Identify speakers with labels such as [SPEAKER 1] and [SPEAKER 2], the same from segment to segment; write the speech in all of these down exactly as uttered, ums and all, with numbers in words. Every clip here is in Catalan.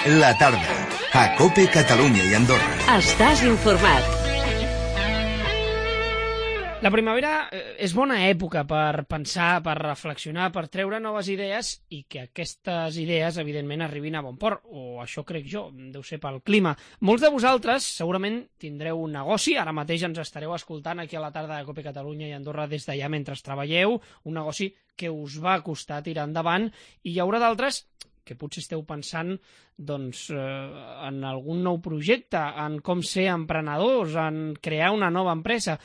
[SPEAKER 1] La tarda, a COPE Catalunya i Andorra.
[SPEAKER 2] Estàs informat.
[SPEAKER 3] La primavera és bona època per pensar, per reflexionar, per treure noves idees i que aquestes idees, evidentment, arribin a bon port, o això crec jo, deu ser pel clima. Molts de vosaltres segurament tindreu un negoci, ara mateix ens estareu escoltant aquí a la tarda de COPE Catalunya i Andorra des d'allà mentre treballeu, un negoci que us va costar tirar endavant, i hi haurà d'altres que potser esteu pensant doncs, eh, en algun nou projecte, en com ser emprenedors, en crear una nova empresa.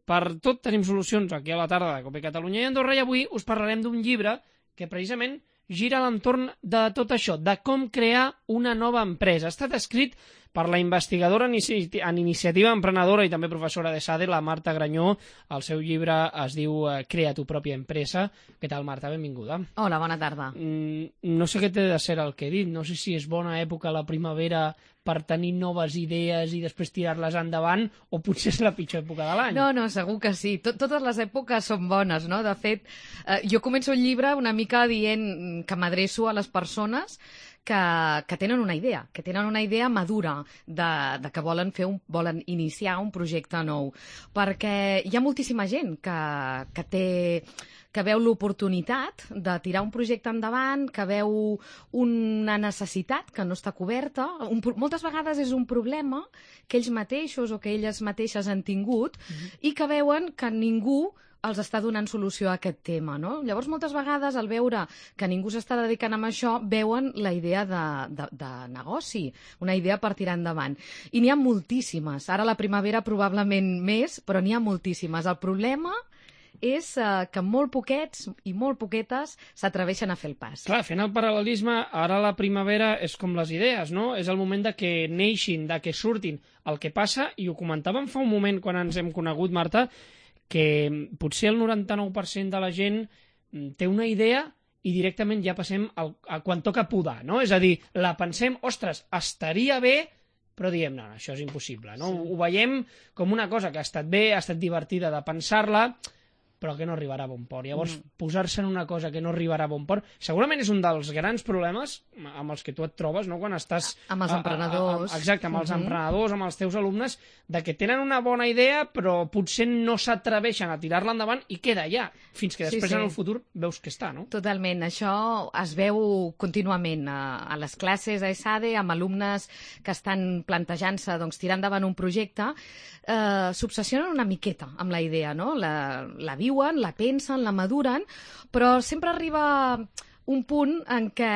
[SPEAKER 3] Per tot tenim solucions aquí a la tarda de COPE Catalunya i Andorra, i avui us parlarem d'un llibre que precisament gira a l'entorn de tot això, de com crear una nova empresa. Ha estat escrit per la investigadora en iniciativa emprenedora i també professora de SADE, la Marta Granyó. El seu llibre es diu Crea tu pròpia empresa. Què tal, Marta? Benvinguda.
[SPEAKER 4] Hola, bona tarda.
[SPEAKER 3] Mm, no sé què té de ser el que he dit. No sé si és bona època la primavera per tenir noves idees i després tirar-les endavant, o potser és la pitjor època de l'any.
[SPEAKER 4] No, no, segur que sí. Tot, totes les èpoques són bones, no? De fet, eh, jo començo el llibre una mica dient que m'adreço a les persones que, que tenen una idea, que tenen una idea madura de, de que volen fer un, volen iniciar un projecte nou. Perquè hi ha moltíssima gent que, que té... que veu l'oportunitat de tirar un projecte endavant, que veu una necessitat que no està coberta. Un, moltes vegades és un problema que ells mateixos o que elles mateixes han tingut mm-hmm. i que veuen que ningú els està donant solució a aquest tema, no? Llavors, moltes vegades, al veure que ningú s'està dedicant a això, veuen la idea de, de, de negoci, una idea per tirar endavant. I n'hi ha moltíssimes. Ara la primavera probablement més, però n'hi ha moltíssimes. El problema és uh, que molt poquets i molt poquetes s'atreveixen a fer el pas.
[SPEAKER 3] Clar, fent el paral·lelisme, ara la primavera és com les idees, no? És el moment de que neixin, de que surtin. El que passa, i ho comentàvem fa un moment quan ens hem conegut, Marta, que potser el noranta-nou per cent de la gent té una idea i directament ja passem al, a quan toca podar, no? És a dir, la pensem, ostres, estaria bé, però diem, no, no, això és impossible, no? Sí. Ho veiem com una cosa que ha estat bé, ha estat divertida de pensar-la, però que no arribarà a bon port. Llavors, mm. posar-se en una cosa que no arribarà a bon port, segurament és un dels grans problemes amb els que tu et trobes, no?, quan estàs...
[SPEAKER 4] Amb els emprenedors.
[SPEAKER 3] A, a, a, exacte, amb els mm-hmm. emprenedors, amb els teus alumnes, de que tenen una bona idea, però potser no s'atreveixen a tirar-la endavant i queda allà, fins que després sí, sí. en el futur veus que està, no?
[SPEAKER 4] Totalment. Això es veu contínuament a, a les classes a ESADE, amb alumnes que estan plantejant-se, doncs, tirar endavant un projecte, eh, s'obsessionen una miqueta amb la idea, no? La, la viuen, la pensen, la maduren, però sempre arriba un punt en què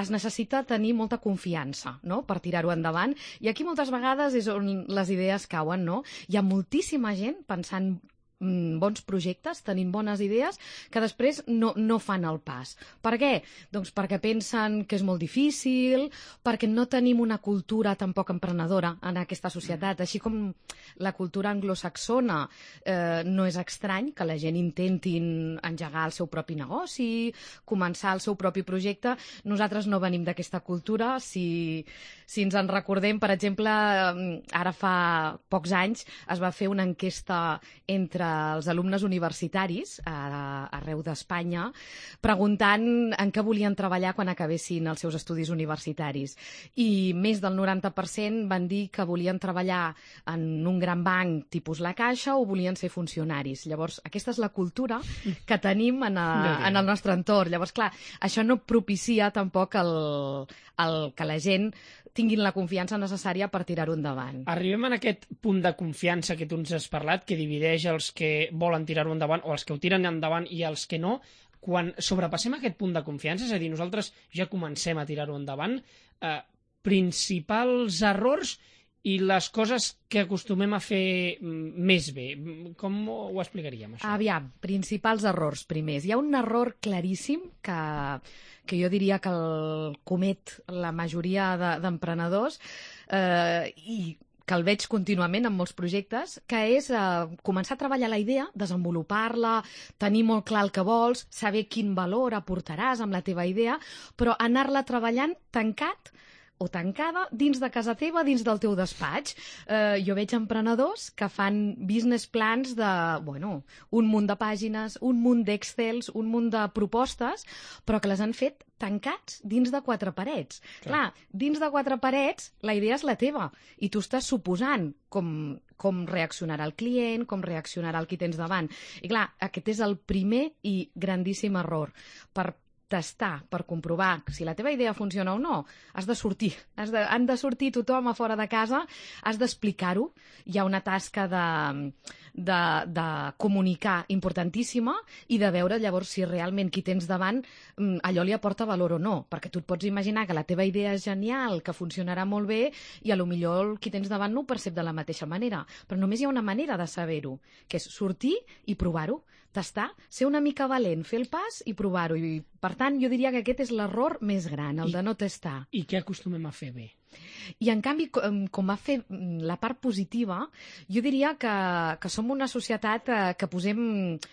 [SPEAKER 4] es necessita tenir molta confiança, no?, per tirar-ho endavant, i aquí moltes vegades és on les idees cauen, no? Hi ha moltíssima gent pensant bons projectes, tenint bones idees, que després no, no fan el pas. Per què? Doncs perquè pensen que és molt difícil, perquè no tenim una cultura tampoc emprenedora en aquesta societat. Així com la cultura anglosaxona eh, no és estrany que la gent intentin engegar el seu propi negoci, començar el seu propi projecte. Nosaltres no venim d'aquesta cultura. Si, si ens en recordem, per exemple, ara fa pocs anys es va fer una enquesta entre els alumnes universitaris a, arreu d'Espanya, preguntant en què volien treballar quan acabessin els seus estudis universitaris. I més del noranta per cent van dir que volien treballar en un gran banc tipus la Caixa o volien ser funcionaris. Llavors, aquesta és la cultura que tenim en, a, en el nostre entorn. Llavors, clar, això no propicia tampoc el, el que la gent tinguin la confiança necessària per tirar-ho endavant.
[SPEAKER 3] Arribem en aquest punt de confiança que tu ens has parlat, que divideix els que volen tirar-ho endavant o els que ho tiren endavant i els que no. Quan sobrepassem aquest punt de confiança, és a dir, nosaltres ja comencem a tirar-ho endavant, eh, principals errors i les coses que acostumem a fer més bé. Com ho explicaríem, això?
[SPEAKER 4] Aviam, principals errors primers. Hi ha un error claríssim que, que jo diria que el comet la majoria de, d'emprenedors eh, i que el veig contínuament en molts projectes, que és eh, començar a treballar la idea, desenvolupar-la, tenir molt clar el que vols, saber quin valor aportaràs amb la teva idea, però anar-la treballant tancat o tancada dins de casa teva, dins del teu despatx. Eh, jo veig emprenedors que fan business plans de, bueno, un munt de pàgines, un munt d'Excels, un munt de propostes, però que les han fet tancats dins de quatre parets. Clar. Clar, dins de quatre parets la idea és la teva i tu estàs suposant com, com reaccionarà el client, com reaccionarà el qui tens davant. I clar, aquest és el primer i grandíssim error. Per testar, per comprovar si la teva idea funciona o no, has de sortir. Has de, han de sortir tothom a fora de casa, has d'explicar-ho. Hi ha una tasca de, de, de comunicar importantíssima i de veure llavors si realment qui tens davant allò li aporta valor o no, perquè tu et pots imaginar que la teva idea és genial, que funcionarà molt bé i a lo millor qui tens davant no ho percep de la mateixa manera, però només hi ha una manera de saber-ho, que és sortir i provar-ho, tastar, ser una mica valent, fer el pas i provar-ho. I, per tant, jo diria que aquest és l'error més gran, el I, de no tastar.
[SPEAKER 3] I què acostumem a fer bé?
[SPEAKER 4] I, en canvi, com, com a fer la part positiva, jo diria que, que som una societat eh, que, posem,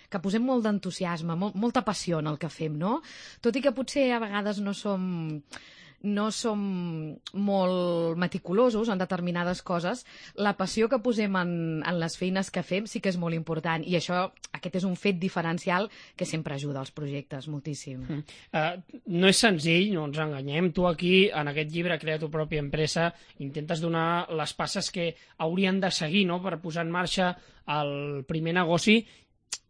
[SPEAKER 4] que posem molt d'entusiasme, molt, molta passió en el que fem, no? Tot i que potser a vegades no som... no som molt meticulosos en determinades coses, la passió que posem en, en les feines que fem sí que és molt important i això, aquest és un fet diferencial que sempre ajuda als projectes moltíssim.
[SPEAKER 3] Mm. Uh, no és senzill, no ens enganyem. Tu aquí, en aquest llibre Crea tu pròpia empresa, intentes donar les passes que haurien de seguir, no?, per posar en marxa el primer negoci,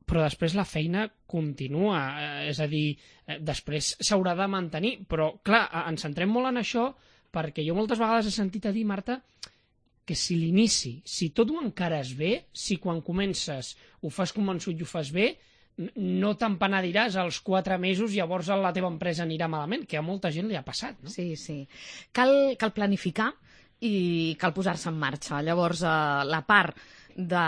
[SPEAKER 3] però després la feina continua, eh, és a dir, eh, després s'haurà de mantenir, però clar, ens centrem molt en això perquè jo moltes vegades he sentit a dir, Marta, que si l'inici, si tot ho encares bé, si quan comences ho fas convençut i ho fas bé, no t'empenediràs als quatre mesos, llavors la teva empresa anirà malament, que a molta gent li ha passat, no?
[SPEAKER 4] Sí, sí. Cal, cal planificar i cal posar-se en marxa. Llavors, eh, la part de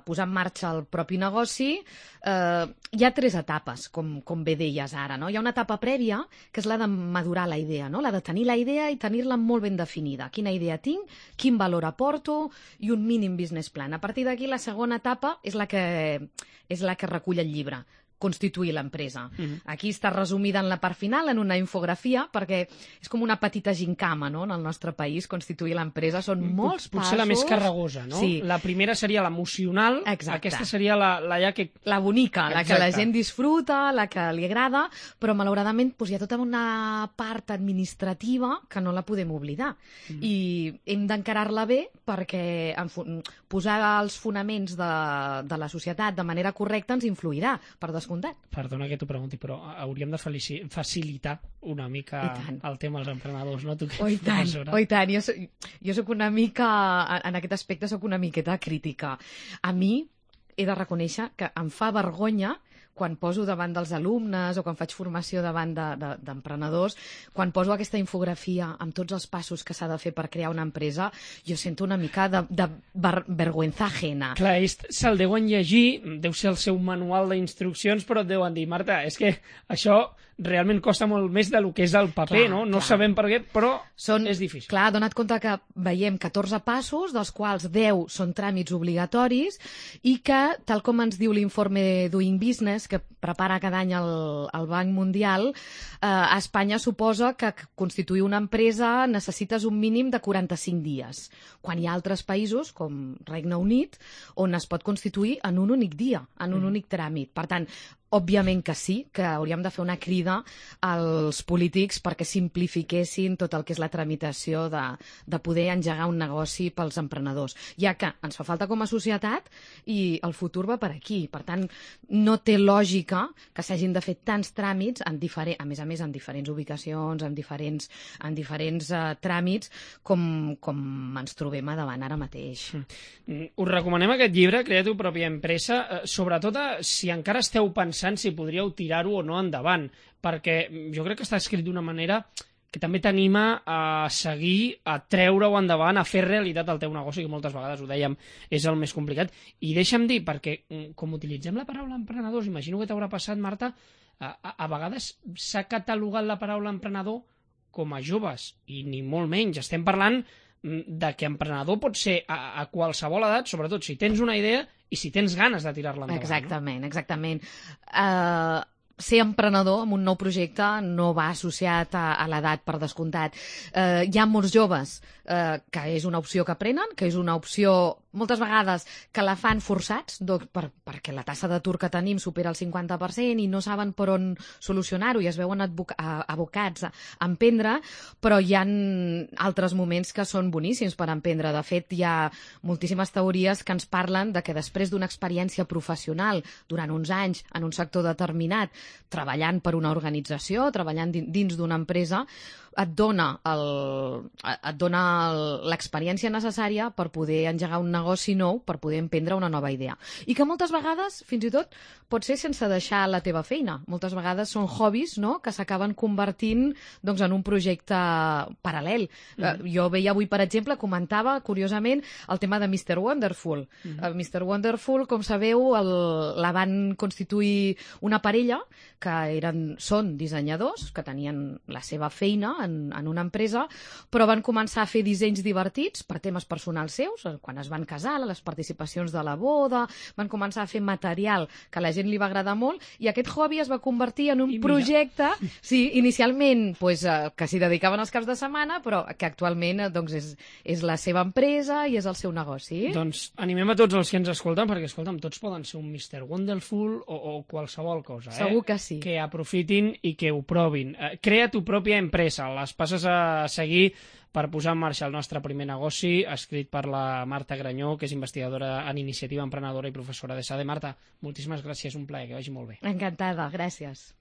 [SPEAKER 4] posar en marxa el propi negoci, eh, hi ha tres etapes, com, com bé deies ara, no? Hi ha una etapa prèvia, que és la de madurar la idea, no? La de tenir la idea i tenir-la molt ben definida. Quina idea tinc, quin valor aporto i un mínim business plan. A partir d'aquí, la segona etapa és la que, és la que recull el llibre, constituir l'empresa. Uh-huh. Aquí està resumida en la part final, en una infografia, perquè és com una petita gincama, no?, en el nostre país, constituir l'empresa. Són molts
[SPEAKER 3] Potser
[SPEAKER 4] passos...
[SPEAKER 3] Potser la més carregosa, no?
[SPEAKER 4] Sí.
[SPEAKER 3] La primera seria l'emocional, aquesta seria la, la ja que...
[SPEAKER 4] La bonica, la
[SPEAKER 3] Exacte.
[SPEAKER 4] que la gent disfruta, la que li agrada, però malauradament doncs, hi ha tota una part administrativa que no la podem oblidar. Mm. I hem d'encarar-la bé perquè en posar els fonaments de, de la societat de manera correcta ens influirà, per descomptat.
[SPEAKER 3] Perdona que t'ho pregunti, però hauríem de facilitar una mica el tema als emprenedors, no? Tu que
[SPEAKER 4] oh, i tant, oh, i tant. Jo soc, jo soc una mica, en aquest aspecte soc una miqueta crítica. A mi he de reconèixer que em fa vergonya quan poso davant dels alumnes o quan faig formació davant d'emprenedors, de, de, quan poso aquesta infografia amb tots els passos que s'ha de fer per crear una empresa, jo sento una mica de, de ver, vergüenza ajena.
[SPEAKER 3] Clar, ells se'l deuen llegir, deu ser el seu manual d'instruccions, però et deuen dir, Marta, és que això realment costa molt més del que és el paper, clar, no? No clar. Sabem per què, però són, és difícil.
[SPEAKER 4] Clar, dona't compte que veiem catorze passos, dels quals deu són tràmits obligatoris i que, tal com ens diu l'informe Doing Business, que prepara cada any el, el Banc Mundial, eh, a Espanya suposa que constituir una empresa necessites un mínim de quaranta-cinc dies, quan hi ha altres països, com Regne Unit, on es pot constituir en un únic dia, en un mm. únic tràmit. Per tant, òbviament que sí, que hauríem de fer una crida als polítics perquè simplifiquessin tot el que és la tramitació de, de poder engegar un negoci pels emprenedors, ja que ens fa falta com a societat i el futur va per aquí. Per tant, no té lògica que s'hagin de fer tants tràmits, en diferent, a més a més en diferents ubicacions, en diferents, en diferents uh, tràmits, com, com ens trobem a davant ara mateix.
[SPEAKER 3] Mm. Us recomanem aquest llibre, Crea tu pròpia empresa, eh, sobretot a, si encara esteu pensant si podríeu tirar-ho o no endavant, perquè jo crec que està escrit d'una manera que també t'anima a seguir, a treure-ho endavant, a fer realitat el teu negoci, que moltes vegades, ho dèiem, és el més complicat. I deixa'm dir, perquè com utilitzem la paraula emprenedors, imagino que t'haurà passat, Marta, a, a, a vegades s'ha catalogat la paraula emprenedor com a joves, i ni molt menys. Estem parlant de que emprenedor pot ser a, a qualsevol edat, sobretot si tens una idea i si tens ganes de tirar-la endavant.
[SPEAKER 4] Exactament, no? exactament. Uh, ser emprenedor en un nou projecte no va associat a, a l'edat, per descomptat. Eh, hi ha molts joves eh, que és una opció que prenen, que és una opció moltes vegades que la fan forçats, doncs, per, perquè la tassa d'atur que tenim supera el cinquanta per cent i no saben per on solucionar-ho i es veuen abocats a emprendre, però hi ha altres moments que són boníssims per emprendre. De fet, hi ha moltíssimes teories que ens parlen de que després d'una experiència professional durant uns anys en un sector determinat, treballant per una organització, treballant dins d'una empresa, et dona el- et dona el- l'experiència necessària per poder engegar un negoci nou, per poder emprendre una nova idea. I que moltes vegades, fins i tot, pot ser sense deixar la teva feina. Moltes vegades són hobbies, no?, que s'acaben convertint doncs, en un projecte paral·lel. Eh, jo veia avui, per exemple, comentava, curiosament, el tema de mister Wonderful. Eh, mister Wonderful, com sabeu, el, la van constituir una parella que eren, són dissenyadors, que tenien la seva feina en, en una empresa, però van començar a fer dissenys divertits per temes personals seus, quan es van casar, les participacions de la boda, van començar a fer material que a la gent li va agradar molt, i aquest hobby es va convertir en un
[SPEAKER 3] I mira.
[SPEAKER 4] projecte, sí, inicialment pues, eh, que s'hi dedicaven els caps de setmana, però que actualment eh, doncs, és, és la seva empresa i és el seu negoci.
[SPEAKER 3] Doncs animem a tots els que ens escolten, perquè, escolta'm, tots poden ser un mister Wonderful o, o qualsevol cosa, eh?
[SPEAKER 4] Segur que sí.
[SPEAKER 3] Que aprofitin i que ho provin. Eh, crea tu pròpia empresa, les passes a seguir per posar en marxa el nostre primer negoci, escrit per la Marta Granyó, que és investigadora en iniciativa emprenedora i professora de S A D E. Marta, moltíssimes gràcies, un plaer, que vagi molt bé.
[SPEAKER 4] Encantada, gràcies.